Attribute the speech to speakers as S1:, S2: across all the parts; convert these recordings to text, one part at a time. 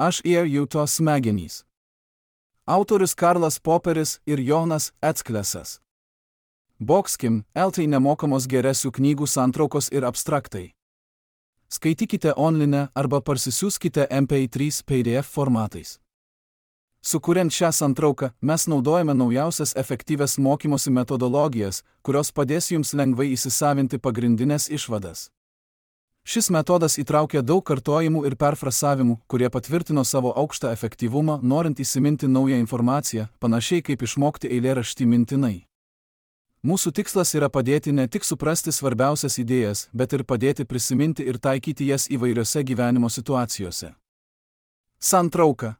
S1: Aš ir Juto smegenys. Autorius Karlas Poperis ir Jonas Ecklesas. Bokskim, LT nemokamos geresių knygų santraukos ir abstraktai. Skaitykite online arba parsisiųskite MP3 PDF formatais. Sukuriant šią santrauką, mes naudojame naujausias efektyvias mokymosi metodologijas, kurios padės jums lengvai įsisavinti pagrindinės išvadas. Šis metodas įtraukia daug kartojimų ir perfrasavimų, kurie patvirtino savo aukštą efektyvumą, norint įsiminti naują informaciją, panašiai kaip išmokti eilėraštį mintinai. Mūsų tikslas yra padėti ne tik suprasti svarbiausias idėjas, bet ir padėti prisiminti ir taikyti jas įvairiose gyvenimo situacijose. Santrauka.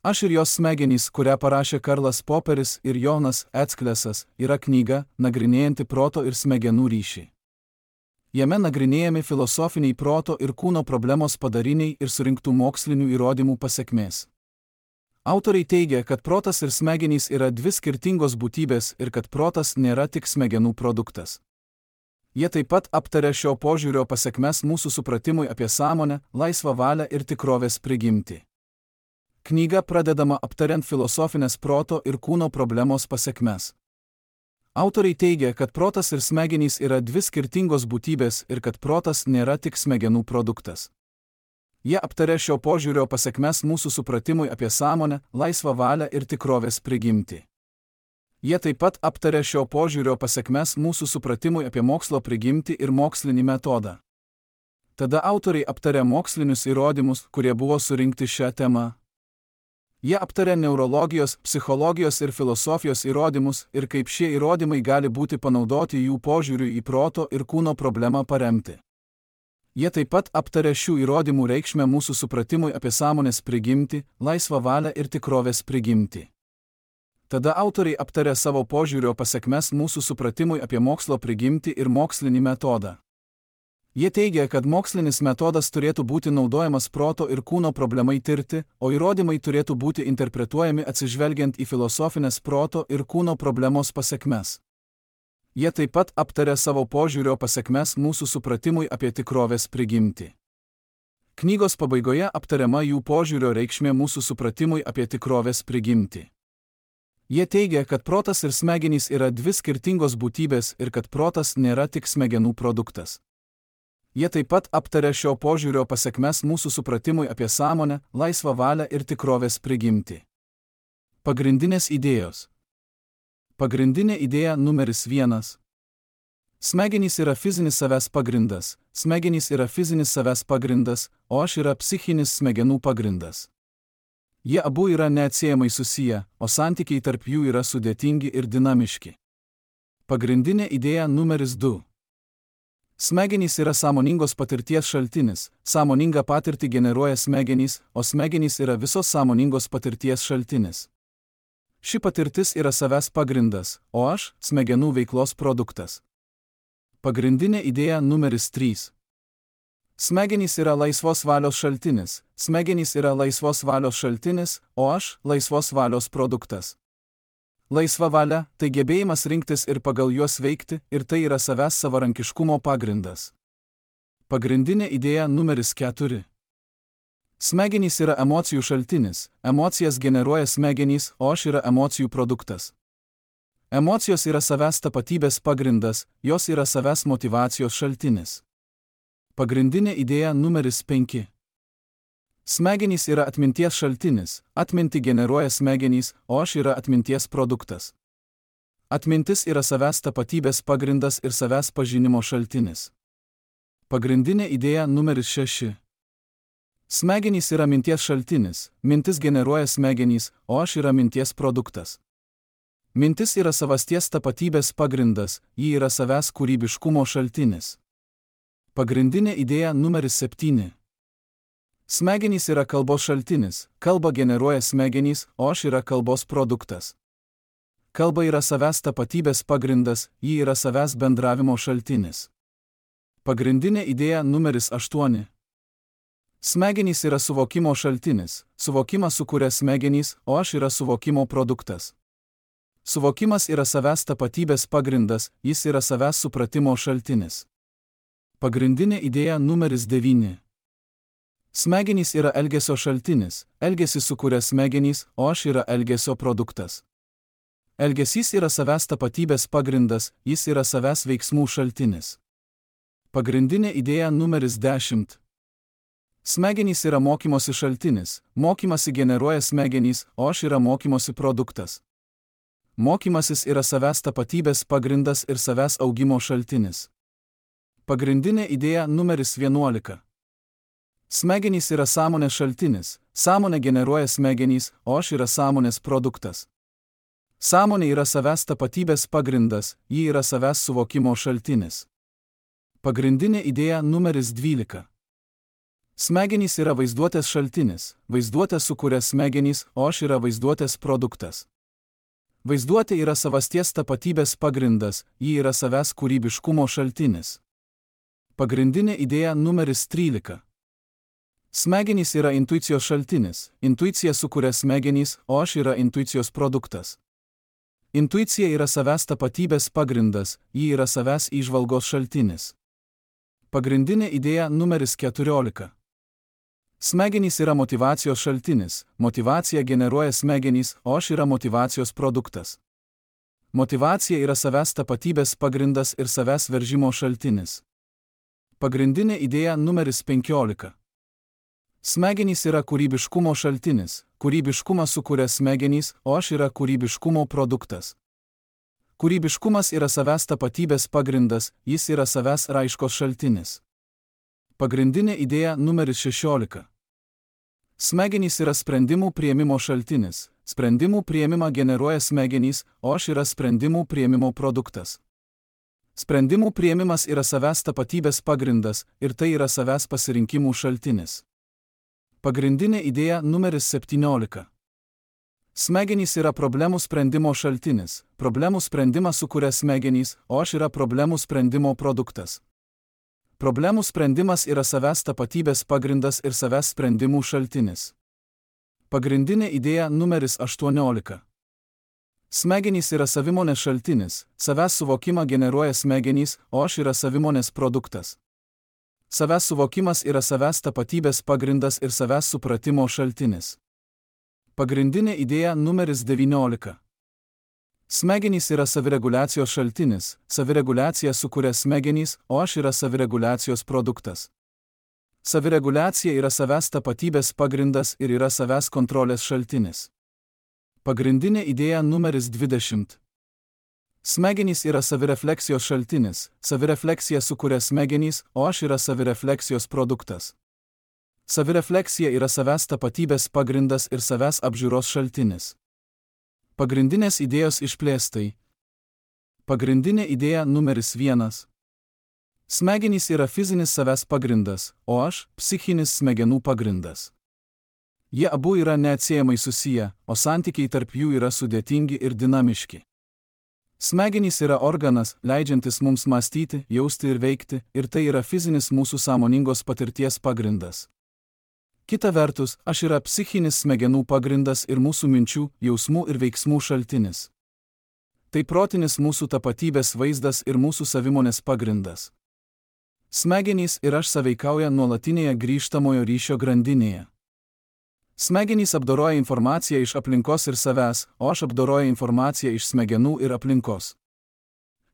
S1: Aš ir jos smegenys, kurią parašė Karlas Poperis ir Jonas Ecklesas, yra knyga, nagrinėjanti proto ir smegenų ryšį. Jame nagrinėjami filosofiniai proto ir kūno problemos padariniai ir surinktų mokslinių įrodymų pasekmės. Autoriai teigia, kad protas ir smegenys yra dvi skirtingos būtybės ir kad protas nėra tik smegenų produktas. Jie taip pat aptaria šio požiūrio pasekmes mūsų supratimui apie sąmonę, laisvą valią ir tikrovės prigimtį. Knyga pradedama aptariant filosofinės proto ir kūno problemos pasekmes. Autoriai teigia, kad protas ir smegenys yra dvi skirtingos būtybės ir kad protas nėra tik smegenų produktas. Jie aptaria šio požiūrio pasekmes mūsų supratimui apie sąmonę, laisvą valią ir tikrovės prigimtį. Jie taip pat aptaria šio požiūrio pasekmes mūsų supratimui apie mokslo prigimtį ir mokslinį metodą. Tada autoriai aptaria mokslinius įrodymus, kurie buvo surinkti šią temą. Jie aptaria neurologijos, psichologijos ir filosofijos įrodymus ir kaip šie įrodymai gali būti panaudoti jų požiūriui į proto ir kūno problemą paremti. Jie taip pat aptaria šių įrodymų reikšmę mūsų supratimui apie sąmonės prigimtį, laisvą valią ir tikrovės prigimtį. Tada autoriai aptaria savo požiūrio pasekmes mūsų supratimui apie mokslo prigimtį ir mokslinį metodą. Jie teigia, kad mokslinis metodas turėtų būti naudojamas proto ir kūno problemai tirti, o įrodymai turėtų būti interpretuojami atsižvelgiant į filosofinės proto ir kūno problemos pasekmes. Jie taip pat aptaria savo požiūrio pasekmes mūsų supratimui apie tikrovės prigimtį. Knygos pabaigoje aptariama jų požiūrio reikšmė mūsų supratimui apie tikrovės prigimtį. Jie teigia, kad protas ir smegenys yra dvi skirtingos būtybės ir kad protas nėra tik smegenų produktas. Jie taip pat aptaria šio požiūrio pasekmes mūsų supratimui apie sąmonę, laisvą valią ir tikrovės prigimtį. Pagrindinės idėjos. Pagrindinė idėja numeris 1. Smegenys yra fizinis savęs pagrindas, smegenys yra fizinis savęs pagrindas, o aš yra psichinis smegenų pagrindas. Jie abu yra neatsiejamai susiję, o santykiai tarp jų yra sudėtingi ir dinamiški. Pagrindinė idėja numeris 2. Smegenys yra sąmoningos patirties šaltinis, sąmoningą patirtį generuoja smegenys, o smegenys yra visos sąmoningos patirties šaltinis. Ši patirtis yra savęs pagrindas, o aš – smegenų veiklos produktas. Pagrindinė idėja numeris 3. Smegenys yra laisvos valios šaltinis, smegenys yra laisvos valios šaltinis, o aš – laisvos valios produktas. Laisva valia – tai gebėjimas rinktis ir pagal juos veikti, ir tai yra savęs savarankiškumo pagrindas. Pagrindinė idėja numeris 4. Smegenys yra emocijų šaltinis, emocijas generuoja smegenys, o aš yra emocijų produktas. Emocijos yra savęs tapatybės pagrindas, jos yra savęs motyvacijos šaltinis. Pagrindinė idėja numeris 5. Smegenys yra atminties šaltinis, atmintį generuoja smegenys, o aš yra atminties produktas. Atmintis yra savęs tapatybės pagrindas ir savęs pažinimo šaltinis. Pagrindinė idėja numeris 6. Smegenys yra minties šaltinis, mintis generuoja smegenys, o aš yra minties produktas. Mintis yra savasties tapatybės pagrindas, ji yra savęs kūrybiškumo šaltinis. Pagrindinė idėja numeris 7. Smegenys yra kalbos šaltinis, kalba generuoja smegenys, o aš yra kalbos produktas. Kalba yra savęs tapatybės pagrindas, ji yra savęs bendravimo šaltinis. Pagrindinė idėja numeris 8. Smegenys yra suvokimo šaltinis, suvokimą sukuria smegenys, o aš yra suvokimo produktas. Suvokimas yra savęs tapatybės pagrindas, jis yra savęs supratimo šaltinis. Pagrindinė idėja numeris 9. Smegenys yra elgesio šaltinis, elgesį sukuria smegenys, o aš yra elgesio produktas. Elgesys yra savęs tapatybės pagrindas, jis yra savęs veiksmų šaltinis. Pagrindinė idėja numeris 10. Smegenys yra mokymosi šaltinis, mokymasi generuoja smegenys, o aš yra mokymosi produktas. Mokymasis yra savęs tapatybės pagrindas ir savęs augimo šaltinis. Pagrindinė idėja numeris 11. Smegenys yra sąmonės šaltinis, sąmonė generuoja smegenys, o aš yra sąmonės produktas. Sąmonė yra savęs tapatybės pagrindas, ji yra savęs suvokimo šaltinis. Pagrindinė idėja numeris 12. Smegenys yra vaizduotės šaltinis, vaizduotę sukuria smegenys, o aš yra vaizduotės produktas. Vaizduotė yra savasties tapatybės pagrindas, ji yra savęs kūrybiškumo šaltinis. Pagrindinė idėja numeris 13. Smegenys yra intuicijos šaltinis, intuicija sukuria smegenys, o aš yra intuicijos produktas. Intuicija yra savęs tapatybės pagrindas, ji yra savęs įžvalgos šaltinis. Pagrindinė idėja numeris 14. Smegenys yra motyvacijos šaltinis, motyvacija generuoja smegenys, o aš yra motyvacijos produktas. Motyvacija yra savęs tapatybės pagrindas ir savęs veržimo šaltinis. Pagrindinė idėja numeris 15. Smegenys yra kūrybiškumo šaltinis, kūrybiškumą sukuria smegenys, o aš yra kūrybiškumo produktas. Kūrybiškumas yra savęs tapatybės pagrindas, jis yra savęs raiškos šaltinis. Pagrindinė idėja numeris 16. Smegenys yra sprendimų priėmimo šaltinis, sprendimų priėmimą generuoja smegenys, o aš yra sprendimų priėmimo produktas. Sprendimų priėmimas yra savęs tapatybės pagrindas ir tai yra savęs pasirinkimų šaltinis. Pagrindinė idėja numeris 17. Smegenys yra problemų sprendimo šaltinis, problemų sprendimą sukuria smegenys, o aš yra problemų sprendimo produktas. Problemų sprendimas yra savęs tapatybės pagrindas ir savęs sprendimų šaltinis. Pagrindinė idėja numeris 18. Smegenys yra savimonės šaltinis, savęs suvokimą generuoja smegenys, o aš yra savimonės produktas. Savęs suvokimas yra savęs tapatybės pagrindas ir savęs supratimo šaltinis. Pagrindinė idėja numeris 19. Smegenys yra savireguliacijos šaltinis, savireguliacija sukuria smegenys, o aš yra savireguliacijos produktas. Savireguliacija yra savęs tapatybės pagrindas ir yra savęs kontrolės šaltinis. Pagrindinė idėja numeris 20. Smegenys yra savirefleksijos šaltinis, savirefleksija sukuria smegenys, o aš yra savirefleksijos produktas. Savirefleksija yra savęs tapatybės pagrindas ir savęs apžiūros šaltinis. Pagrindinės idėjos išplėstai. Pagrindinė idėja numeris 1. Smegenys yra fizinis savęs pagrindas, o aš – psichinis smegenų pagrindas. Jie abu yra neatsiejamai susiję, o santykiai tarp jų yra sudėtingi ir dinamiški. Smegenys yra organas, leidžiantis mums mąstyti, jausti ir veikti, ir tai yra fizinis mūsų sąmoningos patirties pagrindas. Kita vertus, aš yra psichinis smegenų pagrindas ir mūsų minčių, jausmų ir veiksmų šaltinis. Tai protinis mūsų tapatybės vaizdas ir mūsų savimonės pagrindas. Smegenys ir aš sąveikauja nuolatinėje grįžtamojo ryšio grandinėje. Smegenys apdoroja informaciją iš aplinkos ir savęs, o aš apdoroju informaciją iš smegenų ir aplinkos.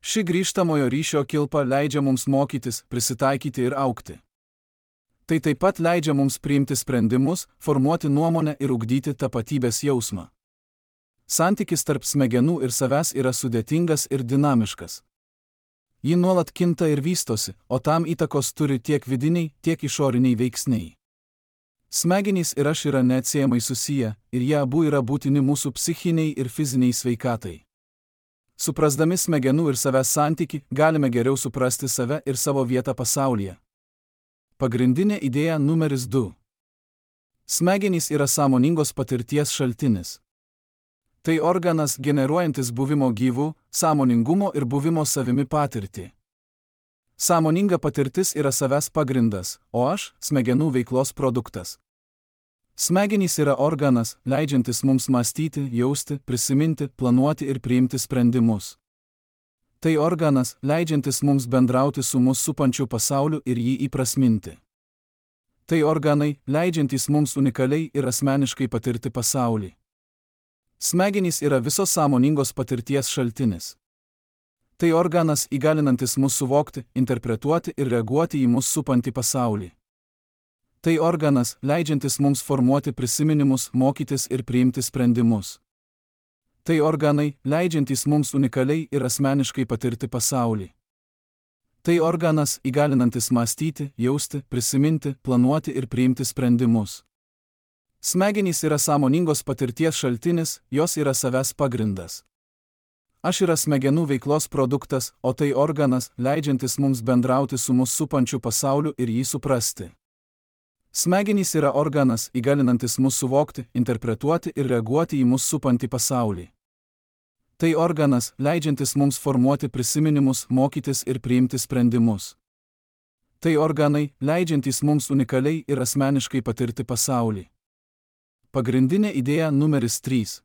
S1: Ši grįžtamojo ryšio kilpa leidžia mums mokytis, prisitaikyti ir augti. Tai taip pat leidžia mums priimti sprendimus, formuoti nuomonę ir ugdyti tapatybės jausmą. Santykis tarp smegenų ir savęs yra sudėtingas ir dinamiškas. Ji nuolat kinta ir vystosi, o tam įtakos turi tiek vidiniai, tiek išoriniai veiksniai. Smegenys ir aš yra neatsiejamai susiję, ir jie abu yra būtini mūsų psichiniai ir fiziniai sveikatai. Suprasdami smegenų ir savęs santykį, galime geriau suprasti save ir savo vietą pasaulyje. Pagrindinė idėja numeris 2. Smegenys yra sąmoningos patirties šaltinis. Tai organas generuojantis buvimo gyvų, sąmoningumo ir buvimo savimi patirtį. Sąmoninga patirtis yra savęs pagrindas, o aš – smegenų veiklos produktas. Smegenys yra organas, leidžiantis mums mąstyti, jausti, prisiminti, planuoti ir priimti sprendimus. Tai organas, leidžiantis mums bendrauti su mus supančiu pasauliu ir jį įprasminti. Tai organai, leidžiantys mums unikaliai ir asmeniškai patirti pasaulį. Smegenys yra visos sąmoningos patirties šaltinis. Tai organas įgalinantis mus suvokti, interpretuoti ir reaguoti į mus supantį pasaulį. Tai organas, leidžiantis mums formuoti prisiminimus, mokytis ir priimti sprendimus. Tai organai, leidžiantys mums unikaliai ir asmeniškai patirti pasaulį. Tai organas, įgalinantis mąstyti, jausti, prisiminti, planuoti ir priimti sprendimus. Smegenys yra sąmoningos patirties šaltinis, jos yra savęs pagrindas. Aš yra smegenų veiklos produktas, o tai organas, leidžiantis mums bendrauti su mus supančiu pasauliu ir jį suprasti. Smegenys yra organas, įgalinantis mus suvokti, interpretuoti ir reaguoti į mus supantį pasaulį. Tai organas, leidžiantis mums formuoti prisiminimus, mokytis ir priimti sprendimus. Tai organai, leidžiantys mums unikaliai ir asmeniškai patirti pasaulį. Pagrindinė idėja numeris 3.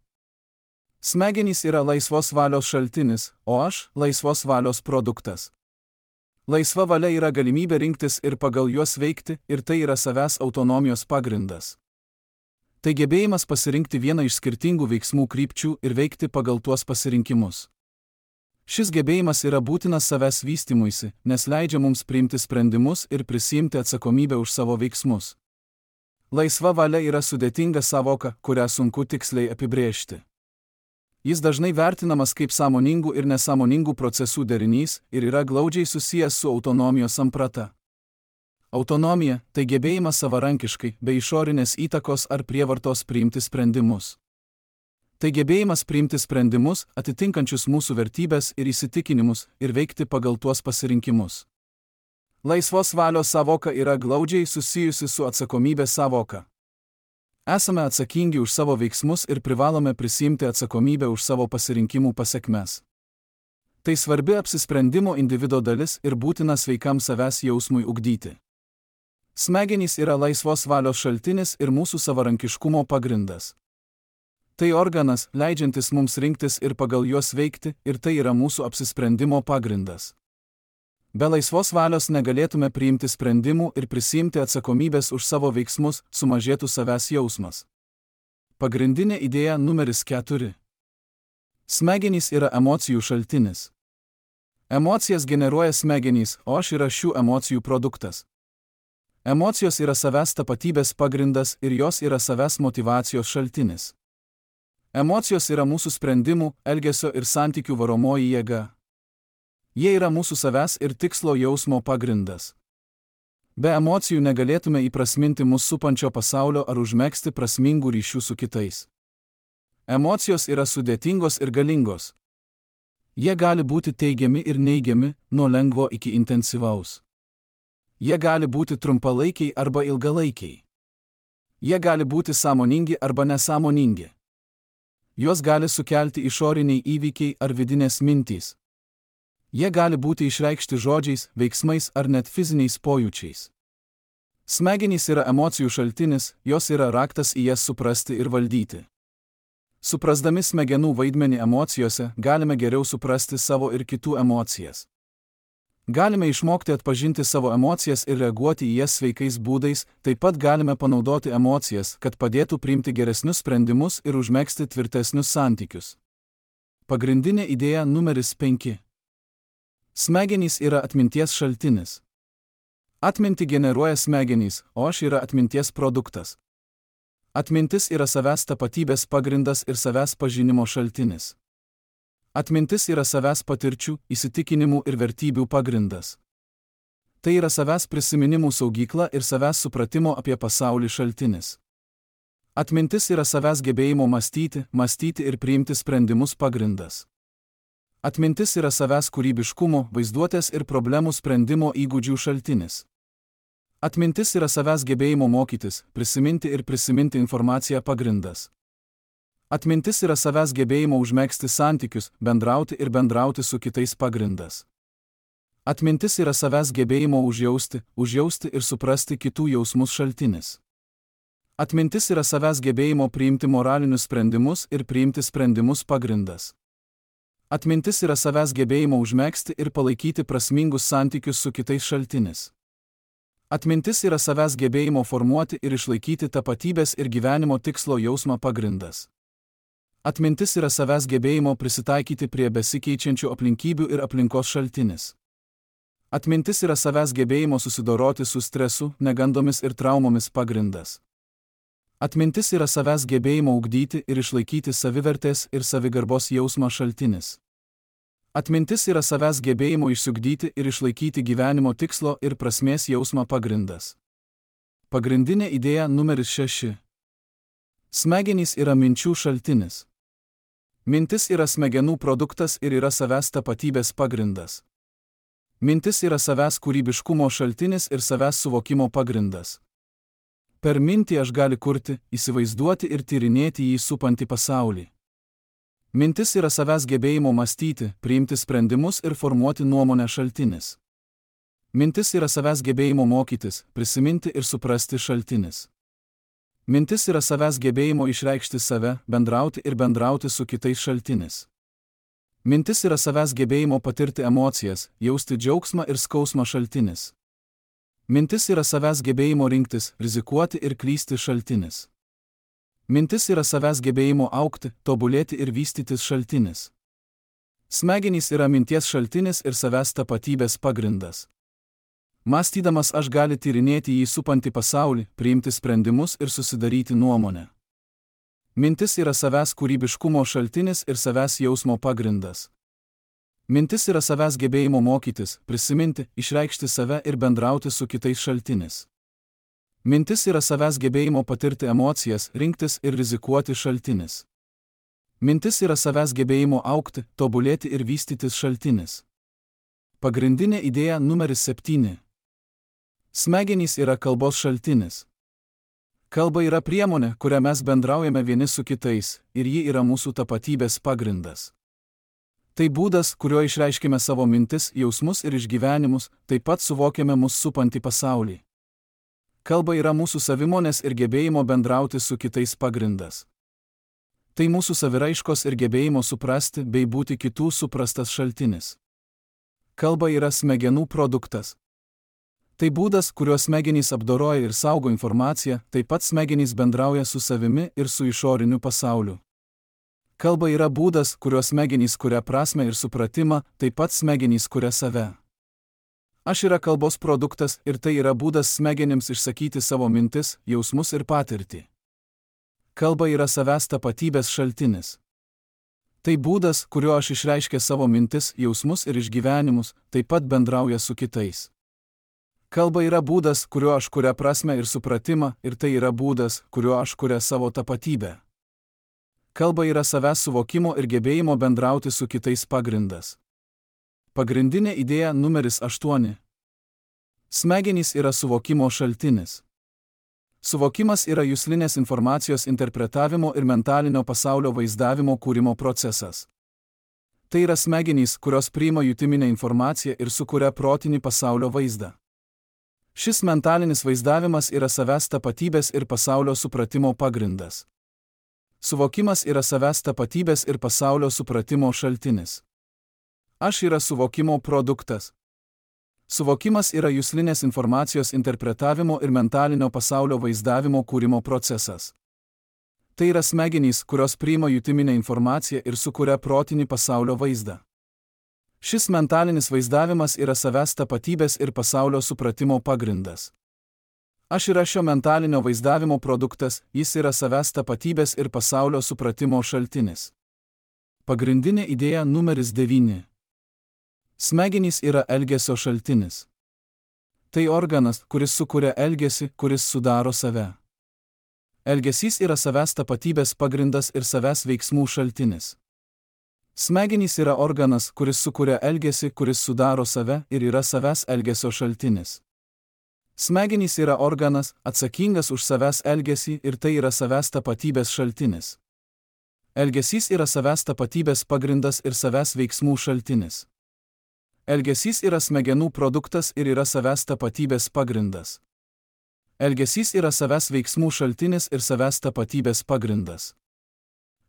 S1: Smegenys yra laisvos valios šaltinis, o aš – laisvos valios produktas. Laisva valia yra galimybė rinktis ir pagal juos veikti, ir tai yra savęs autonomijos pagrindas. Tai gebėjimas pasirinkti vieną iš skirtingų veiksmų krypčių ir veikti pagal tuos pasirinkimus. Šis gebėjimas yra būtinas savęs vystymuisi, nes leidžia mums priimti sprendimus ir prisiimti atsakomybę už savo veiksmus. Laisva valia yra sudėtinga sąvoka, kurią sunku tiksliai apibrėžti. Jis dažnai vertinamas kaip sąmoningų ir nesąmoningų procesų derinys ir yra glaudžiai susijęs su autonomijos samprata. Autonomija – tai gebėjimas savarankiškai, be išorinės įtakos ar prievartos priimti sprendimus. Tai gebėjimas priimti sprendimus, atitinkančius mūsų vertybės ir įsitikinimus, ir veikti pagal tuos pasirinkimus. Laisvos valios sąvoka yra glaudžiai susijusi su atsakomybės sąvoka. Esame atsakingi už savo veiksmus ir privalome prisiimti atsakomybę už savo pasirinkimų pasekmes. Tai svarbi apsisprendimo individo dalis ir būtina sveikam savęs jausmui ugdyti. Smegenys yra laisvos valios šaltinis ir mūsų savarankiškumo pagrindas. Tai organas, leidžiantis mums rinktis ir pagal juos veikti, ir tai yra mūsų apsisprendimo pagrindas. Be laisvos valios negalėtume priimti sprendimų ir prisiimti atsakomybės už savo veiksmus, sumažėtų savęs jausmas. Pagrindinė idėja numeris 4. Smegenys yra emocijų šaltinis. Emocijas generuoja smegenys, o aš yra šių emocijų produktas. Emocijos yra savęs tapatybės pagrindas ir jos yra savęs motyvacijos šaltinis. Emocijos yra mūsų sprendimų, elgesio ir santykių varomoji jėga. Jie yra mūsų savęs ir tikslo jausmo pagrindas. Be emocijų negalėtume įprasminti mus supančio pasaulio ar užmegzti prasmingų ryšių su kitais. Emocijos yra sudėtingos ir galingos. Jie gali būti teigiami ir neigiami, nuo lengvo iki intensyvaus. Jie gali būti trumpalaikiai arba ilgalaikiai. Jie gali būti sąmoningi arba nesąmoningi. Juos gali sukelti išoriniai įvykiai ar vidinės mintys. Jie gali būti išreikšti žodžiais, veiksmais ar net fiziniais pojūčiais. Smegenys yra emocijų šaltinis, jos yra raktas į jas suprasti ir valdyti. Suprasdami smegenų vaidmenį emocijose, galime geriau suprasti savo ir kitų emocijas. Galime išmokti atpažinti savo emocijas ir reaguoti į jas sveikais būdais, taip pat galime panaudoti emocijas, kad padėtų priimti geresnius sprendimus ir užmegzti tvirtesnius santykius. Pagrindinė idėja numeris 5. Smegenys yra atminties šaltinis. Atmintį generuoja smegenys, o aš yra atminties produktas. Atmintis yra savęs tapatybės pagrindas ir savęs pažinimo šaltinis. Atmintis yra savęs patirčių, įsitikinimų ir vertybių pagrindas. Tai yra savęs prisiminimų saugykla ir savęs supratimo apie pasaulį šaltinis. Atmintis yra savęs gebėjimo mąstyti ir priimti sprendimus pagrindas. Atmintis yra savęs kūrybiškumo, vaizduotės ir problemų sprendimo įgūdžių šaltinis. Atmintis yra savęs gebėjimo mokytis, prisiminti informaciją pagrindas. Atmintis yra savęs gebėjimo užmegzti santykius, bendrauti su kitais pagrindas. Atmintis yra savęs gebėjimo užjausti ir suprasti kitų jausmus šaltinis. Atmintis yra savęs gebėjimo priimti moralinius sprendimus ir priimti sprendimus pagrindas. Atmintis yra savęs gebėjimo užmegzti ir palaikyti prasmingus santykius su kitais šaltinis. Atmintis yra savęs gebėjimo formuoti ir išlaikyti tapatybės ir gyvenimo tikslo jausmą pagrindas. Atmintis yra savęs gebėjimo prisitaikyti prie besikeičiančių aplinkybių ir aplinkos šaltinis. Atmintis yra savęs gebėjimo susidoroti su stresu, negandomis ir traumomis pagrindas. Atmintis yra savęs gebėjimo ugdyti ir išlaikyti savivertės ir savigarbos jausmą šaltinis. Atmintis yra savęs gebėjimo išsiugdyti ir išlaikyti gyvenimo tikslo ir prasmės jausmą pagrindas. Pagrindinė idėja numeris 6. Smegenys yra minčių šaltinis. Mintis yra smegenų produktas ir yra savęs tapatybės pagrindas. Mintis yra savęs kūrybiškumo šaltinis ir savęs suvokimo pagrindas. Per mintį aš gali kurti, įsivaizduoti ir tyrinėti jį supantį pasaulį. Mintis yra savęs gebėjimo mąstyti, priimti sprendimus ir formuoti nuomonę šaltinis. Mintis yra savęs gebėjimo mokytis, prisiminti ir suprasti šaltinis. Mintis yra savęs gebėjimo išreikšti save, bendrauti ir bendrauti su kitais šaltinis. Mintis yra savęs gebėjimo patirti emocijas, jausti džiaugsmą ir skausmą šaltinis. Mintis yra savęs gebėjimo rinktis, rizikuoti ir klysti šaltinis. Mintis yra savęs gebėjimo augti, tobulėti ir vystytis šaltinis. Smegenys yra minties šaltinis ir savęs tapatybės pagrindas. Mąstydamas aš gali tyrinėti jį supantį pasaulį, priimti sprendimus ir susidaryti nuomonę. Mintis yra savęs kūrybiškumo šaltinis ir savęs jausmo pagrindas. Mintis yra savęs gebėjimo mokytis, prisiminti, išreikšti save ir bendrauti su kitais šaltinis. Mintis yra savęs gebėjimo patirti emocijas, rinktis ir rizikuoti šaltinis. Mintis yra savęs gebėjimo augti, tobulėti ir vystytis šaltinis. Pagrindinė idėja numeris 7. Smegenys yra kalbos šaltinis. Kalba yra priemonė, kuria mes bendraujame vieni su kitais, ir ji yra mūsų tapatybės pagrindas. Tai būdas, kuriuo išreiškime savo mintis, jausmus ir išgyvenimus, taip pat suvokiame mus supantį pasaulį. Kalba yra mūsų savimonės ir gebėjimo bendrauti su kitais pagrindas. Tai mūsų saviraiškos ir gebėjimo suprasti bei būti kitų suprastas šaltinis. Kalba yra smegenų produktas. Tai būdas, kuriuo smegenys apdoroja ir saugo informaciją, taip pat smegenys bendrauja su savimi ir su išoriniu pasauliu. Kalba yra būdas, kuriuo smegenys kuria prasmę ir supratimą, taip pat smegenys kuria save. Aš yra kalbos produktas ir tai yra būdas smegenims išsakyti savo mintis, jausmus ir patirtį. Kalba yra savęs tapatybės šaltinis. Tai būdas, kuriuo aš išreiškia savo mintis, jausmus ir išgyvenimus, taip pat bendrauja su kitais. Kalba yra būdas, kuriuo aš kuria prasmę ir supratimą, ir tai yra būdas, kuriuo aš kuria savo tapatybę. Kalba yra savęs suvokimo ir gebėjimo bendrauti su kitais pagrindas. Pagrindinė idėja numeris 8. Smegenys yra suvokimo šaltinis. Suvokimas yra juslinės informacijos interpretavimo ir mentalinio pasaulio vaizdavimo kūrimo procesas. Tai yra smegenys, kurios priima jutiminę informaciją ir sukuria protinį pasaulio vaizdą. Šis mentalinis vaizdavimas yra savęs tapatybės ir pasaulio supratimo pagrindas. Suvokimas yra savęs tapatybės ir pasaulio supratimo šaltinis. Aš yra suvokimo produktas. Suvokimas yra juslinės informacijos interpretavimo ir mentalinio pasaulio vaizdavimo kūrimo procesas. Tai yra smegenys, kurios priima jutiminę informaciją ir sukuria protinį pasaulio vaizdą. Šis mentalinis vaizdavimas yra savęs tapatybės ir pasaulio supratimo pagrindas. Aš yra šio mentalinio vaizdavimo produktas, jis yra savęs tapatybės ir pasaulio supratimo šaltinis. Pagrindinė idėja numeris 9. Smegenys yra elgesio šaltinis. Tai organas, kuris sukuria elgesį, kuris sudaro save. Elgesys yra savęs tapatybės pagrindas ir savęs veiksmų šaltinis. Smegenys yra organas, kuris sukuria elgesį, kuris sudaro save ir yra savęs elgesio šaltinis. Smegenys yra organas, atsakingas už savęs elgesį ir tai yra savęs tapatybės šaltinis. Elgesys yra savęs tapatybės pagrindas ir savęs veiksmų šaltinis. Elgesys yra smegenų produktas ir yra savęs tapatybės pagrindas. Elgesys yra savęs veiksmų šaltinis ir savęs tapatybės pagrindas.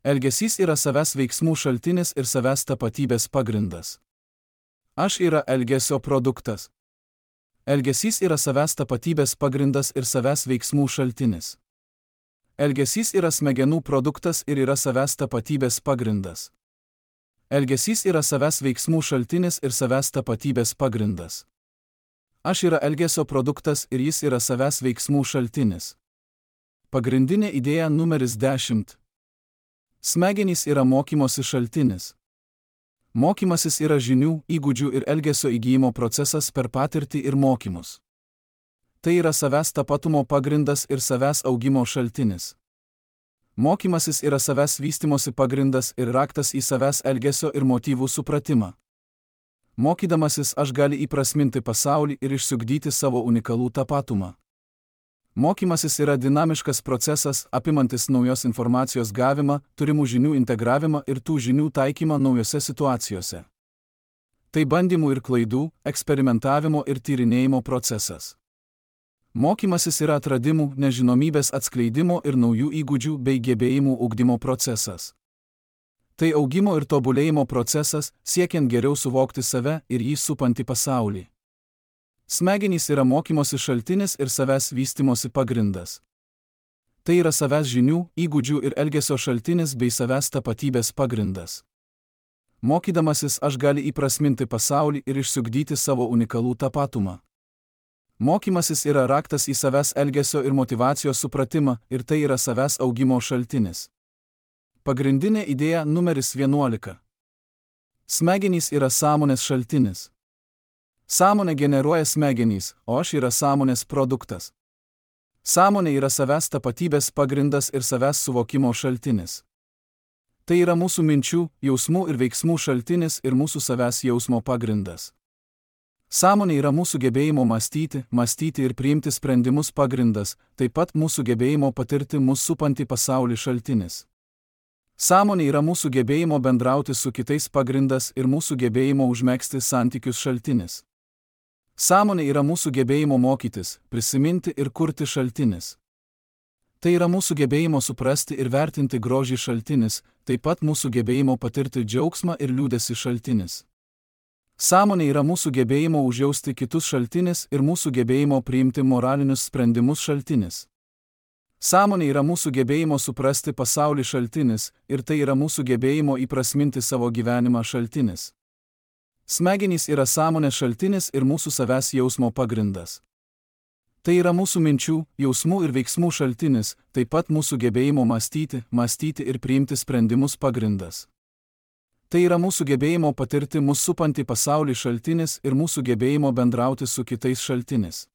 S1: Elgesys yra savęs veiksmų šaltinis ir savęs tapatybės pagrindas. Aš yra elgesio produktas. Elgesys yra savęs tapatybės pagrindas ir savęs veiksmų šaltinis. Elgesys yra smegenų produktas ir yra savęs tapatybės pagrindas. Elgesys yra savęs veiksmų šaltinis ir savęs tapatybės pagrindas. Aš yra elgesio produktas ir jis yra savęs veiksmų šaltinis. Pagrindinė idėja numeris 10. Smegenys yra mokymosi šaltinis. Mokymasis yra žinių, įgūdžių ir elgesio įgyjimo procesas per patirtį ir mokymus. Tai yra savęs tapatumo pagrindas ir savęs augimo šaltinis. Mokymasis yra savęs vystimosi pagrindas ir raktas į savęs elgesio ir motyvų supratimą. Mokydamasis aš gali įprasminti pasaulį ir išsiugdyti savo unikalų tapatumą. Mokymasis yra dinamiškas procesas, apimantis naujos informacijos gavimą, turimų žinių integravimą ir tų žinių taikymą naujose situacijose. Tai bandymų ir klaidų, eksperimentavimo ir tyrinėjimo procesas. Mokymasis yra atradimų, nežinomybės atskleidimo ir naujų įgūdžių bei gebėjimų ugdymo procesas. Tai augimo ir tobulėjimo procesas, siekiant geriau suvokti save ir jį supantį pasaulį. Smegenys yra mokymosi šaltinis ir savęs vystimosi pagrindas. Tai yra savęs žinių, įgūdžių ir elgesio šaltinis bei savęs tapatybės pagrindas. Mokydamasis aš gali įprasminti pasaulį ir išsiugdyti savo unikalų tapatumą. Mokymasis yra raktas į savęs elgesio ir motyvacijos supratimą ir tai yra savęs augimo šaltinis. Pagrindinė idėja numeris 11. Smegenys yra sąmonės šaltinis. Sąmonė generuoja smegenys, o aš yra sąmonės produktas. Sąmonė yra savęs tapatybės pagrindas ir savęs suvokimo šaltinis. Tai yra mūsų minčių, jausmų ir veiksmų šaltinis ir mūsų savęs jausmo pagrindas. Sąmonė yra mūsų gebėjimo mąstyti ir priimti sprendimus pagrindas, taip pat mūsų gebėjimo patirti mūsų supantį pasaulį šaltinis. Sąmonė yra mūsų gebėjimo bendrauti su kitais pagrindas ir mūsų gebėjimo užmegzti santykius šaltinis. Sąmonė yra mūsų gebėjimo mokytis, prisiminti ir kurti šaltinis. Tai yra mūsų gebėjimo suprasti ir vertinti grožį šaltinis, taip pat mūsų gebėjimo patirti džiaugsmą ir liūdesį šaltinis. Sąmonė yra mūsų gebėjimo užjausti kitus šaltinis ir mūsų gebėjimo priimti moralinius sprendimus šaltinis. Sąmonė yra mūsų gebėjimo suprasti pasaulį šaltinis ir tai yra mūsų gebėjimo įprasminti savo gyvenimą šaltinis. Smegenys yra sąmonės šaltinis ir mūsų savęs jausmo pagrindas. Tai yra mūsų minčių, jausmų ir veiksmų šaltinis, taip pat mūsų gebėjimo mąstyti ir priimti sprendimus pagrindas. Tai yra mūsų gebėjimo patirti mūsų supantį pasaulį šaltinis ir mūsų gebėjimo bendrauti su kitais šaltinis.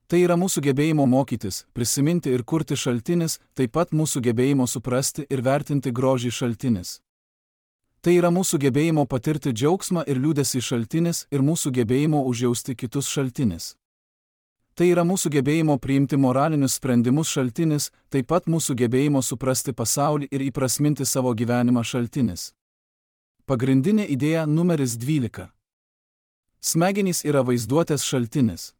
S1: Tai yra mūsų gebėjimo mokytis, prisiminti ir kurti šaltinis, taip pat mūsų gebėjimo suprasti ir vertinti grožį šaltinis. Tai yra mūsų gebėjimo patirti džiaugsmą ir liūdesį šaltinis ir mūsų gebėjimo užjausti kitus šaltinis. Tai yra mūsų gebėjimo priimti moralinius sprendimus šaltinis, taip pat mūsų gebėjimo suprasti pasaulį ir įprasminti savo gyvenimą šaltinis. Pagrindinė idėja numeris 12. Smegenys yra vaizduotės šaltinis.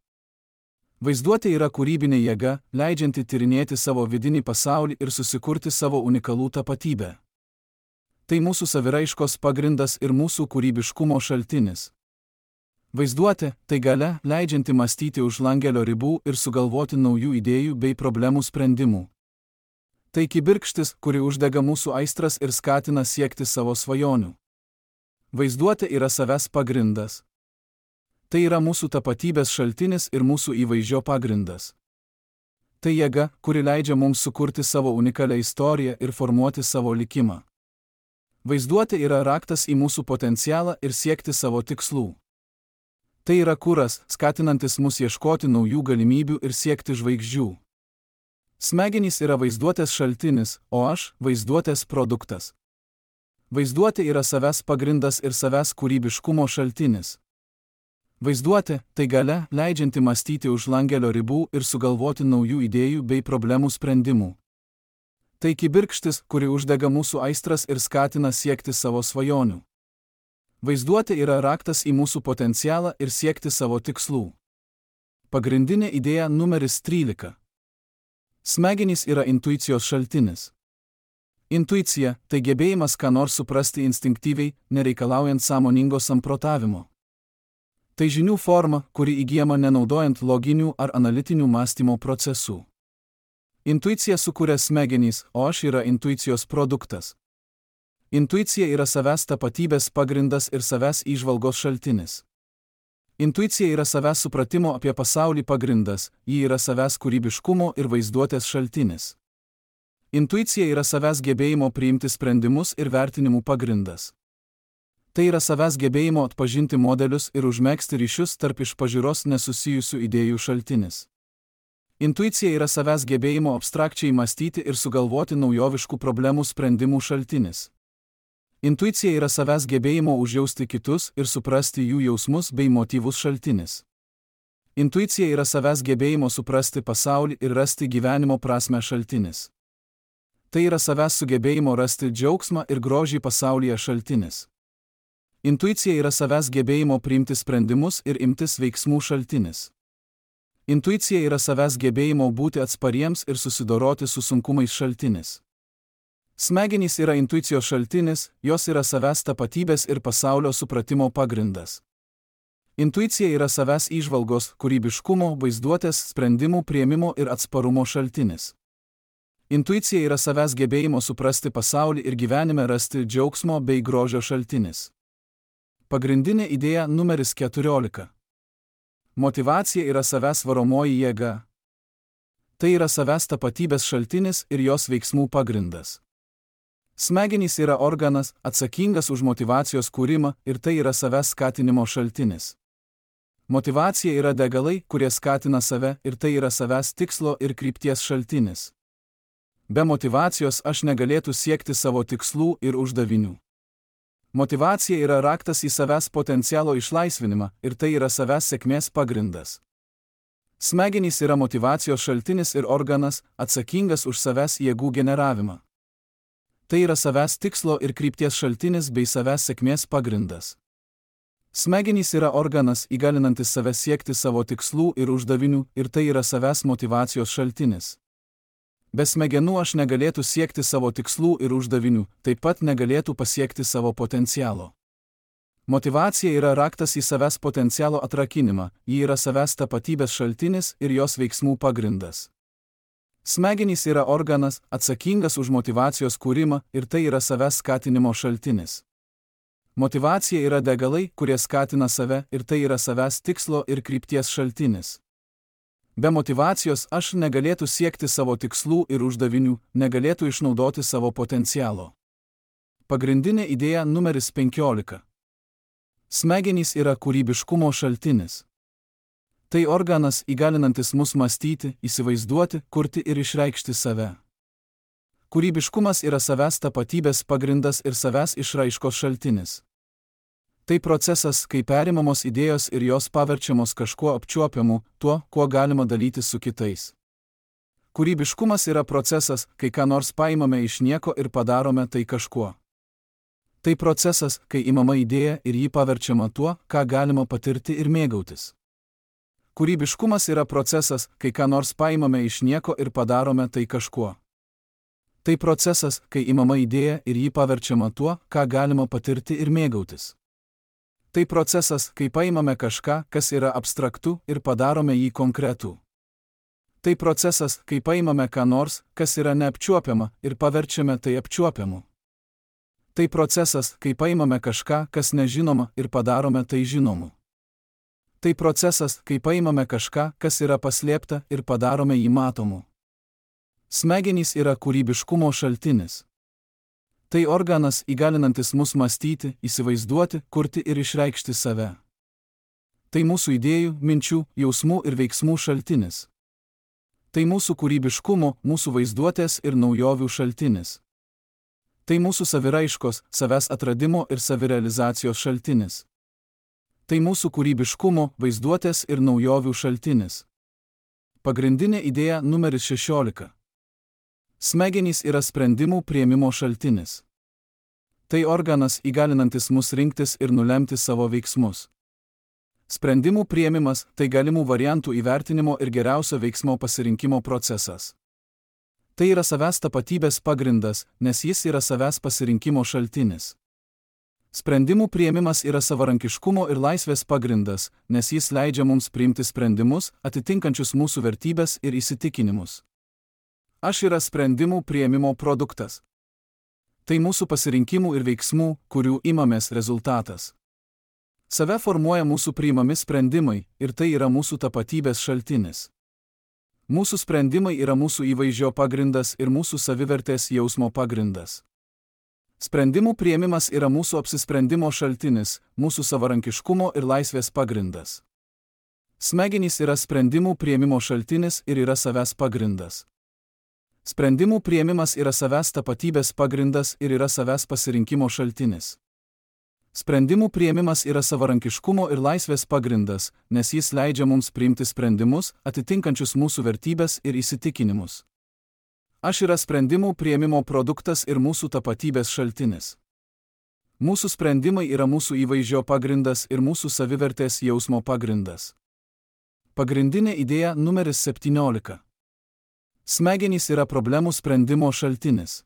S1: Vaizduotė yra kūrybinė jėga, leidžianti tyrinėti savo vidinį pasaulį ir susikurti savo unikalų tapatybę. Tai mūsų saviraiškos pagrindas ir mūsų kūrybiškumo šaltinis. Vaizduotė – tai galia, leidžianti mąstyti už langelio ribų ir sugalvoti naujų idėjų bei problemų sprendimų. Tai kibirkštis, kuri uždega mūsų aistras ir skatina siekti savo svajonių. Vaizduotė yra savęs pagrindas. Tai yra mūsų tapatybės šaltinis ir mūsų įvaizdžio pagrindas. Tai jėga, kuri leidžia mums sukurti savo unikalią istoriją ir formuoti savo likimą. Vaizduotė yra raktas į mūsų potencialą ir siekti savo tikslų. Tai yra kuras, skatinantis mus ieškoti naujų galimybių ir siekti žvaigždžių. Smegenys yra vaizduotės šaltinis, o aš – vaizduotės produktas. Vaizduotė yra savęs pagrindas ir savęs kūrybiškumo šaltinis. Vaizduotė – tai galia, leidžianti mąstyti už langelio ribų ir sugalvoti naujų idėjų bei problemų sprendimų. Tai kibirkštis, kuri uždega mūsų aistras ir skatina siekti savo svajonių. Vaizduotė yra raktas į mūsų potencialą ir siekti savo tikslų. Pagrindinė idėja numeris 13. Smegenys yra intuicijos šaltinis. Intuicija – tai gebėjimas ką nors suprasti instinktyviai, nereikalaujant sąmoningo samprotavimo. Tai žinių forma, kuri įgyjama nenaudojant loginių ar analitinių mąstymo procesų. Intuicija sukuria smegenys, o aš yra intuicijos produktas. Intuicija yra savęs tapatybės pagrindas ir savęs įžvalgos šaltinis. Intuicija yra savęs supratimo apie pasaulį pagrindas, ji yra savęs kūrybiškumo ir vaizduotės šaltinis. Intuicija yra savęs gebėjimo priimti sprendimus ir vertinimų pagrindas. Tai yra savęs gebėjimo atpažinti modelius ir užmegzti ryšius tarp iš pažiūros nesusijusių idėjų šaltinis. Intuicija yra savęs gebėjimo abstrakčiai mąstyti ir sugalvoti naujoviškų problemų sprendimų šaltinis. Intuicija yra savęs gebėjimo užjausti kitus ir suprasti jų jausmus bei motyvus šaltinis. Intuicija yra savęs gebėjimo suprasti pasaulį ir rasti gyvenimo prasmę šaltinis. Tai yra savęs sugebėjimo rasti džiaugsmą ir grožį pasaulyje šaltinis. Intuicija yra savęs gebėjimo priimti sprendimus ir imtis veiksmų šaltinis. Intuicija yra savęs gebėjimo būti atspariems ir susidoroti su sunkumais šaltinis. Smegenys yra intuicijos šaltinis, jos yra savęs tapatybės ir pasaulio supratimo pagrindas. Intuicija yra savęs įžvalgos, kūrybiškumo, vaizduotės, sprendimų priėmimo ir atsparumo šaltinis. Intuicija yra savęs gebėjimo suprasti pasaulį ir gyvenime rasti džiaugsmo bei grožio šaltinis. Pagrindinė idėja numeris 14. Motyvacija yra savęs varomoji jėga. Tai yra savęs tapatybės šaltinis ir jos veiksmų pagrindas. Smegenys yra organas, atsakingas už motyvacijos kūrimą ir tai yra savęs skatinimo šaltinis. Motyvacija yra degalai, kurie skatina save ir tai yra savęs tikslo ir krypties šaltinis. Be motyvacijos aš negalėtų siekti savo tikslų ir uždavinių. Motyvacija yra raktas į savęs potencialo išlaisvinimą ir tai yra savęs sėkmės pagrindas. Smegenys yra motyvacijos šaltinis ir organas, atsakingas už savęs jėgų generavimą. Tai yra savęs tikslo ir krypties šaltinis bei savęs sėkmės pagrindas. Smegenys yra organas įgalinantis save siekti savo tikslų ir uždavinių ir tai yra savęs motyvacijos šaltinis. Be smegenų aš negalėtų siekti savo tikslų ir uždavinių, taip pat negalėtų pasiekti savo potencialo. Motyvacija yra raktas į savęs potencialo atrakinimą, ji yra savęs tapatybės šaltinis ir jos veiksmų pagrindas. Smegenys yra organas, atsakingas už motyvacijos kūrimą ir tai yra savęs skatinimo šaltinis. Motyvacija yra degalai, kurie skatina save ir tai yra savęs tikslo ir krypties šaltinis. Be motyvacijos aš negalėtų siekti savo tikslų ir uždavinių, negalėtų išnaudoti savo potencialo. Pagrindinė idėja numeris 15. Smegenys yra kūrybiškumo šaltinis. Tai organas įgalinantis mus mąstyti, įsivaizduoti, kurti ir išreikšti save. Kūrybiškumas yra savęs tapatybės pagrindas ir savęs išraiškos šaltinis. Tai procesas, kai perimamos idėjos ir jos paverčiamos kažkuo apčiuopiamu, tuo, kuo galima dalytis su kitais. Kūrybiškumas yra procesas, kai ką nors paimame iš nieko ir padarome tai kažkuo. Tai procesas, kai imama idėja ir jį paverčiama tuo, ką galima patirti ir mėgautis. Kūrybiškumas yra procesas, kai ką nors paimame iš nieko ir padarome tai kažkuo. Tai procesas, kai imama idėja ir jį paverčiama tuo, ką galima patirti ir mėgautis. Tai procesas, kai paimame kažką, kas yra abstraktu, ir padarome jį konkretų. Tai procesas, kai paimame ką nors, kas yra neapčiuopiama, ir paverčiame tai apčiuopiamu. Tai procesas, kai paimame kažką, kas nežinoma, ir padarome tai žinomu. Tai procesas, kai paimame kažką, kas yra paslėpta, ir padarome jį matomu. Smegenys yra kūrybiškumo šaltinis. Tai organas įgalinantis mus mąstyti, įsivaizduoti, kurti ir išreikšti save. Tai mūsų idėjų, minčių, jausmų ir veiksmų šaltinis. Tai mūsų kūrybiškumo, mūsų vaizduotės ir naujovių šaltinis. Tai mūsų saviraiškos, savęs atradimo ir savirealizacijos šaltinis. Tai mūsų kūrybiškumo, vaizduotės ir naujovių šaltinis. Pagrindinė idėja numeris 16. Smegenys yra sprendimų priėmimo šaltinis. Tai organas įgalinantis mus rinktis ir nulemti savo veiksmus. Sprendimų priėmimas – tai galimų variantų įvertinimo ir geriausio veiksmo pasirinkimo procesas. Tai yra savęs tapatybės pagrindas, nes jis yra savęs pasirinkimo šaltinis. Sprendimų priėmimas yra savarankiškumo ir laisvės pagrindas, nes jis leidžia mums priimti sprendimus, atitinkančius mūsų vertybės ir įsitikinimus. Aš yra sprendimų priėmimo produktas. Tai mūsų pasirinkimų ir veiksmų, kurių imamės rezultatas. Save formuoja mūsų priimami sprendimai ir tai yra mūsų tapatybės šaltinis. Mūsų sprendimai yra mūsų įvaizdžio pagrindas ir mūsų savivertės jausmo pagrindas. Sprendimų priėmimas yra mūsų apsisprendimo šaltinis, mūsų savarankiškumo ir laisvės pagrindas. Smegenys yra sprendimų priėmimo šaltinis ir yra savęs pagrindas. Sprendimų priėmimas yra savęs tapatybės pagrindas ir yra savęs pasirinkimo šaltinis. Sprendimų priėmimas yra savarankiškumo ir laisvės pagrindas, nes jis leidžia mums priimti sprendimus, atitinkančius mūsų vertybės ir įsitikinimus. Aš yra sprendimų priėmimo produktas ir mūsų tapatybės šaltinis. Mūsų sprendimai yra mūsų įvaizdžio pagrindas ir mūsų savivertės jausmo pagrindas. Pagrindinė idėja numeris 17. Smegenys yra problemų sprendimo šaltinis.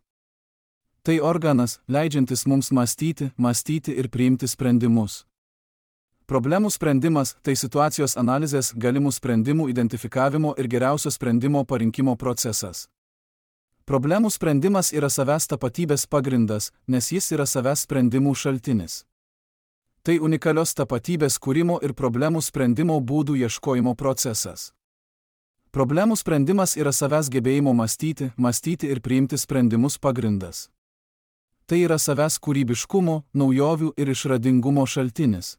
S1: Tai organas, leidžiantis mums mąstyti ir priimti sprendimus. Problemų sprendimas – tai situacijos analizės, galimų sprendimų identifikavimo ir geriausio sprendimo parinkimo procesas. Problemų sprendimas yra savęs tapatybės pagrindas, nes jis yra savęs sprendimų šaltinis. Tai unikalios tapatybės kūrimo ir problemų sprendimo būdų ieškojimo procesas. Problemų sprendimas yra savęs gebėjimo mąstyti ir priimti sprendimus pagrindas. Tai yra savęs kūrybiškumo, naujovių ir išradingumo šaltinis.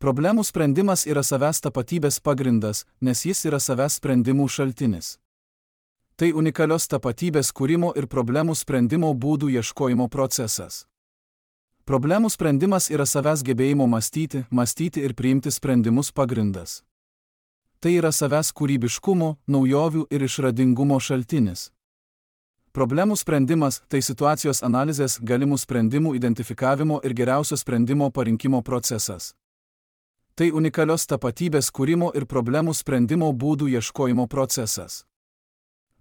S1: Problemų sprendimas yra savęs tapatybės pagrindas, nes jis yra savęs sprendimų šaltinis. Tai unikalios tapatybės kūrimo ir problemų sprendimo būdų ieškojimo procesas. Problemų sprendimas yra savęs gebėjimo mąstyti ir priimti sprendimus pagrindas. Tai yra savęs kūrybiškumo, naujovių ir išradingumo šaltinis. Problemų sprendimas – tai situacijos analizės, galimų sprendimų identifikavimo ir geriausio sprendimo parinkimo procesas. Tai unikalios tapatybės kūrimo ir problemų sprendimo būdų ieškojimo procesas.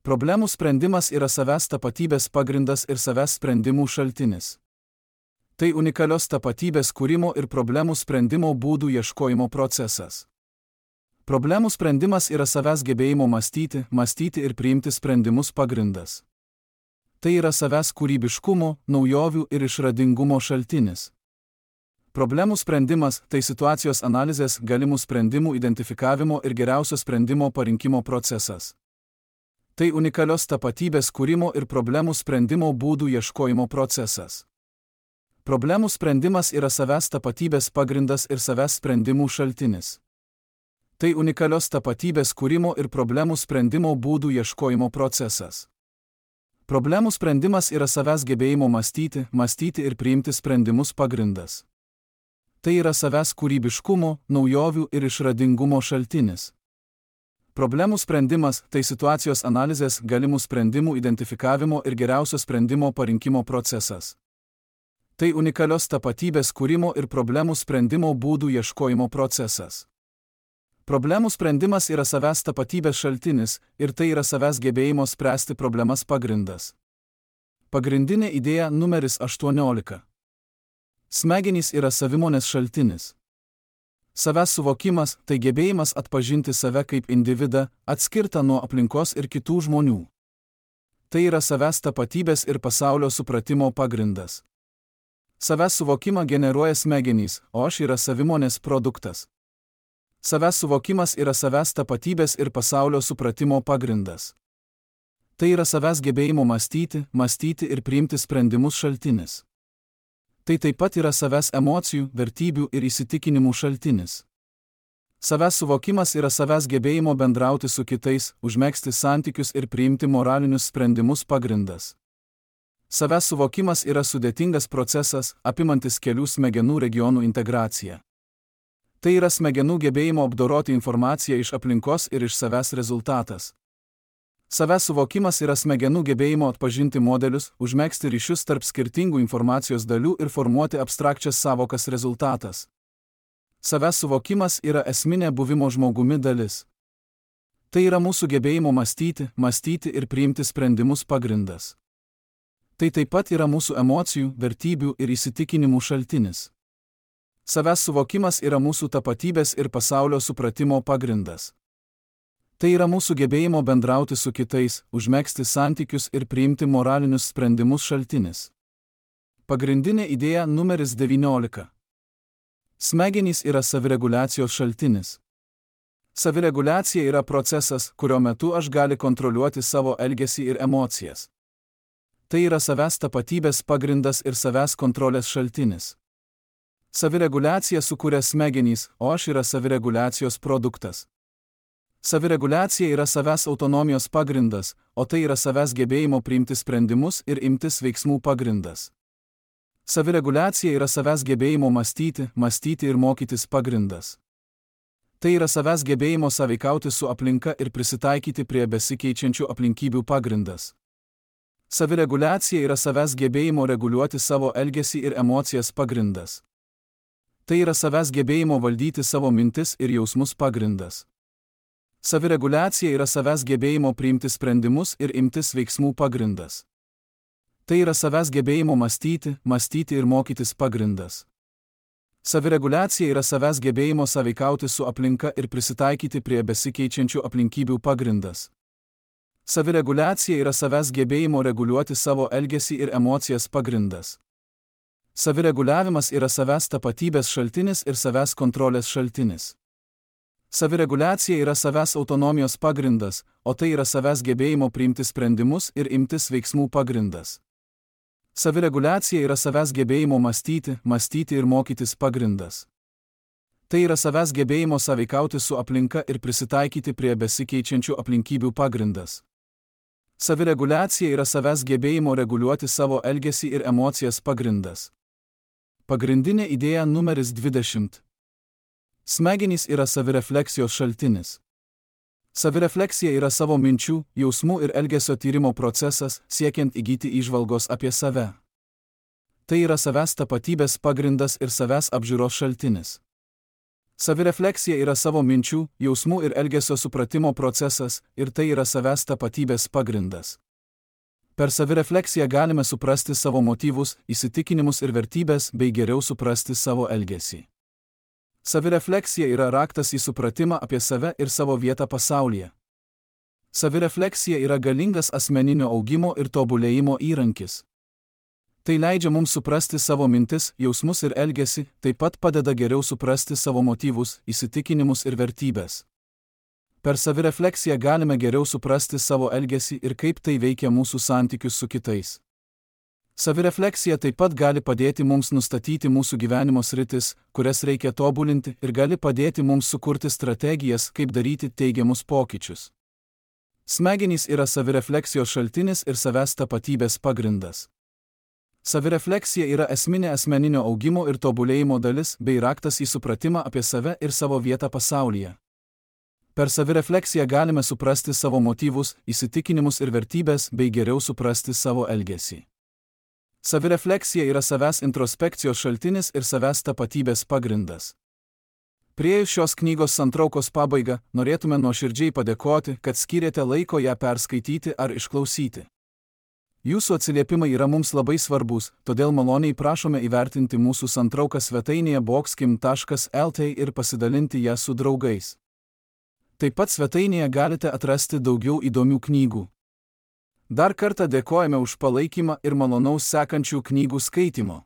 S1: Problemų sprendimas yra savęs tapatybės pagrindas ir savęs sprendimų šaltinis. Tai unikalios tapatybės kūrimo ir problemų sprendimo būdų ieškojimo procesas. Problemų sprendimas yra savęs gebėjimo mąstyti ir priimti sprendimus pagrindas. Tai yra savęs kūrybiškumo, naujovių ir išradingumo šaltinis. Problemų sprendimas – tai situacijos analizės, galimų sprendimų identifikavimo ir geriausio sprendimo parinkimo procesas. Tai unikalios tapatybės kūrimo ir problemų sprendimo būdų ieškojimo procesas. Problemų sprendimas yra savęs tapatybės pagrindas ir savęs sprendimų šaltinis. Tai unikalios tapatybės kūrimo ir problemų sprendimo būdų ieškojimo procesas. Problemų sprendimas yra savęs gebėjimo mąstyti ir priimti sprendimus pagrindas. Tai yra savęs kūrybiškumo, naujovių ir išradingumo šaltinis. Problemų sprendimas – tai situacijos analizės, galimų sprendimų identifikavimo ir geriausio sprendimo parinkimo procesas. Tai unikalios tapatybės kūrimo ir problemų sprendimo būdų ieškojimo procesas. Problemų sprendimas yra savęs tapatybės šaltinis ir tai yra savęs gebėjimo spręsti problemas pagrindas. Pagrindinė idėja numeris 18. Smegenys yra savimonės šaltinis. Savęs suvokimas – tai gebėjimas atpažinti save kaip individą, atskirtą nuo aplinkos ir kitų žmonių. Tai yra savęs tapatybės ir pasaulio supratimo pagrindas. Savęs suvokimą generuoja smegenys, o aš yra savimonės produktas. Savęs suvokimas yra savęs tapatybės ir pasaulio supratimo pagrindas. Tai yra savęs gebėjimo mąstyti ir priimti sprendimus šaltinis. Tai taip pat yra savęs emocijų, vertybių ir įsitikinimų šaltinis. Savęs suvokimas yra savęs gebėjimo bendrauti su kitais, užmegzti santykius ir priimti moralinius sprendimus pagrindas. Savęs suvokimas yra sudėtingas procesas, apimantis kelių smegenų regionų integraciją. Tai yra smegenų gebėjimo apdoroti informaciją iš aplinkos ir iš savęs rezultatas. Savęs suvokimas yra smegenų gebėjimo atpažinti modelius, užmegzti ryšius tarp skirtingų informacijos dalių ir formuoti abstrakčias sąvokas rezultatas. Savęs suvokimas yra esminė buvimo žmogumi dalis. Tai yra mūsų gebėjimo mąstyti ir priimti sprendimus pagrindas. Tai taip pat yra mūsų emocijų, vertybių ir įsitikinimų šaltinis. Savęs suvokimas yra mūsų tapatybės ir pasaulio supratimo pagrindas. Tai yra mūsų gebėjimo bendrauti su kitais, užmegzti santykius ir priimti moralinius sprendimus šaltinis. Pagrindinė idėja numeris 19. Smegenys yra savireguliacijos šaltinis. Savireguliacija yra procesas, kurio metu aš galiu kontroliuoti savo elgesį ir emocijas. Tai yra savęs tapatybės pagrindas ir savęs kontrolės šaltinis. Savireguliacija sukuria smegenys, o aš yra savireguliacijos produktas. Savireguliacija yra savęs autonomijos pagrindas, o tai yra savęs gebėjimo priimti sprendimus ir imtis veiksmų pagrindas. Savireguliacija yra savęs gebėjimo mąstyti ir mokytis pagrindas. Tai yra savęs gebėjimo sąveikauti su aplinka ir prisitaikyti prie besikeičiančių aplinkybių pagrindas. Savireguliacija yra savęs gebėjimo reguliuoti savo elgesį ir emocijas pagrindas. Tai yra savęs gebėjimo valdyti savo mintis ir jausmus pagrindas. Savireguliacija yra savęs gebėjimo priimti sprendimus ir imtis veiksmų pagrindas. Tai yra savęs gebėjimo mąstyti ir mokytis pagrindas. Savireguliacija yra savęs gebėjimo sąveikauti su aplinka ir prisitaikyti prie besikeičiančių aplinkybių pagrindas. Savireguliacija yra savęs gebėjimo reguliuoti savo elgesį ir emocijas pagrindas. Savireguliavimas yra savęs tapatybės šaltinis ir savęs kontrolės šaltinis. Savireguliacija yra savęs autonomijos pagrindas, o tai yra savęs gebėjimo priimti sprendimus ir imtis veiksmų pagrindas. Savireguliacija yra savęs gebėjimo mąstyti ir mokytis pagrindas. Tai yra savęs gebėjimo sąveikauti su aplinka ir prisitaikyti prie besikeičiančių aplinkybių pagrindas. Savireguliacija yra savęs gebėjimo reguliuoti savo elgesį ir emocijas pagrindas. Pagrindinė idėja numeris 20. Smegenys yra savirefleksijos šaltinis. Savirefleksija yra savo minčių, jausmų ir elgesio tyrimo procesas, siekiant įgyti įžvalgos apie save. Tai yra savęs tapatybės pagrindas ir savęs apžiūros šaltinis. Savirefleksija yra savo minčių, jausmų ir elgesio supratimo procesas ir tai yra savęs tapatybės pagrindas. Per savirefleksiją galime suprasti savo motyvus, įsitikinimus ir vertybės bei geriau suprasti savo elgesį. Savirefleksija yra raktas į supratimą apie save ir savo vietą pasaulyje. Savirefleksija yra galingas asmeninio augimo ir tobulėjimo įrankis. Tai leidžia mums suprasti savo mintis, jausmus ir elgesį, taip pat padeda geriau suprasti savo motyvus, įsitikinimus ir vertybės. Per savirefleksiją galime geriau suprasti savo elgesį ir kaip tai veikia mūsų santykius su kitais. Savirefleksija taip pat gali padėti mums nustatyti mūsų gyvenimo sritis, kurias reikia tobulinti ir gali padėti mums sukurti strategijas, kaip daryti teigiamus pokyčius. Smegenys yra savirefleksijos šaltinis ir savęs tapatybės pagrindas. Savirefleksija yra esminė asmeninio augimo ir tobulėjimo dalis bei raktas į supratimą apie save ir savo vietą pasaulyje. Per savirefleksiją galime suprasti savo motyvus, įsitikinimus ir vertybės bei geriau suprasti savo elgesį. Savirefleksija yra savęs introspekcijos šaltinis ir savęs tapatybės pagrindas. Priėjus šios knygos santraukos pabaigą, norėtume nuoširdžiai padėkoti, kad skyrėte laiko ją perskaityti ar išklausyti. Jūsų atsiliepimai yra mums labai svarbus, todėl maloniai prašome įvertinti mūsų santrauką svetainėje boxkim.lt ir pasidalinti ją su draugais. Taip pat svetainėje galite atrasti daugiau įdomių knygų. Dar kartą dėkojame už palaikymą ir malonaus sekančių knygų skaitimo.